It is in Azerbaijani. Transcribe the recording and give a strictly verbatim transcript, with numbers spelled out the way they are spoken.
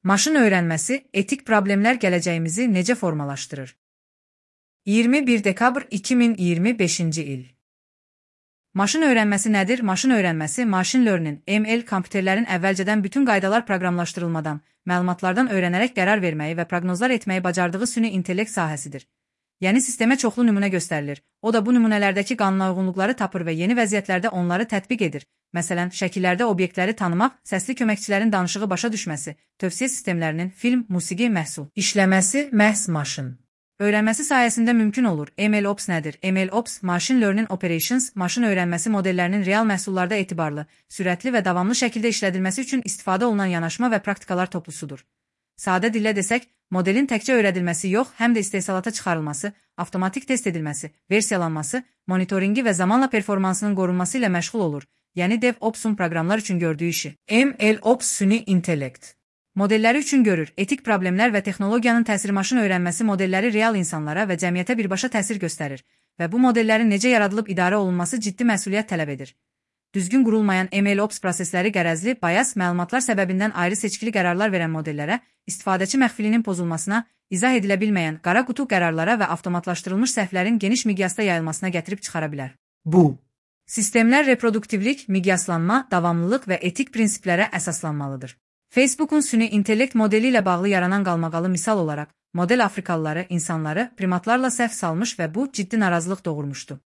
Maşın öyrənməsi, etik problemlər gələcəyimizi necə formalaşdırır? iyirmi bir dekabr iki min iyirmi beşinci il. Maşın öyrənməsi nədir? Maşın öyrənməsi, machine learning, M L, kompüterlərin əvvəlcədən bütün qaydalar proqramlaşdırılmadan, məlumatlardan öyrənərək qərar verməyi və proqnozlar etməyi bacardığı süni intellekt sahəsidir. Yəni sistemə çoxlu nümunə göstərilir. O da bu nümunələrdəki qanunauyğunluqları tapır və yeni vəziyyətlərdə onları tətbiq edir. Məsələn, şəkillərdə obyektləri tanımaq, səsli köməkçilərin danışığı başa düşməsi, tövsiyə sistemlərinin film, musiqi, məhsul işləməsi məhz maşın öyrənməsi sayəsində mümkün olur. MLOps nədir? MLOps, Machine Learning Operations, maşın öyrənməsi modellərinin real məhsullarda etibarlı, sürətli və davamlı şəkildə işlədilməsi üçün istifadə olunan yanaşma və praktikalar toplusudur. Sadə dillə desək, modelin təkcə öyrədilməsi yox, həm də istehsalata çıxarılması, avtomatik test edilməsi, versiyalanması, monitoringi və zamanla performansının qorunması ilə məşğul olur. Yəni DevOps'un proqramlar üçün gördüyü işi. MLOps süni intellekt modelləri üçün görür. Etik problemlər və texnologiyanın təsiri maşın öyrənməsi modelləri real insanlara və cəmiyyətə birbaşa təsir göstərir və bu modellərin necə yaradılıb idarə olunması ciddi məsuliyyət tələb edir. Düzgün qurulmayan MLOps prosesləri qərəzli, bayas, məlumatlar səbəbindən ayrı seçkili qərarlar verən modellərə, istifadəçi məxfilinin pozulmasına, izah edilə bilməyən qara qutu qərarlara və avtomatlaşdırılmış səhvlərin geniş miqyasda yayılmasına gətirib çıxara bilər. Bu sistemlər reproduktivlik, miqyaslanma, davamlılıq və etik prinsiplərə əsaslanmalıdır. Facebook'un süni intellekt modeli ilə bağlı yaranan qalmaqalı misal olaraq, model afrikalıları, insanları primatlarla səhv salmış və bu ciddi narazılıq doğurmuşdu.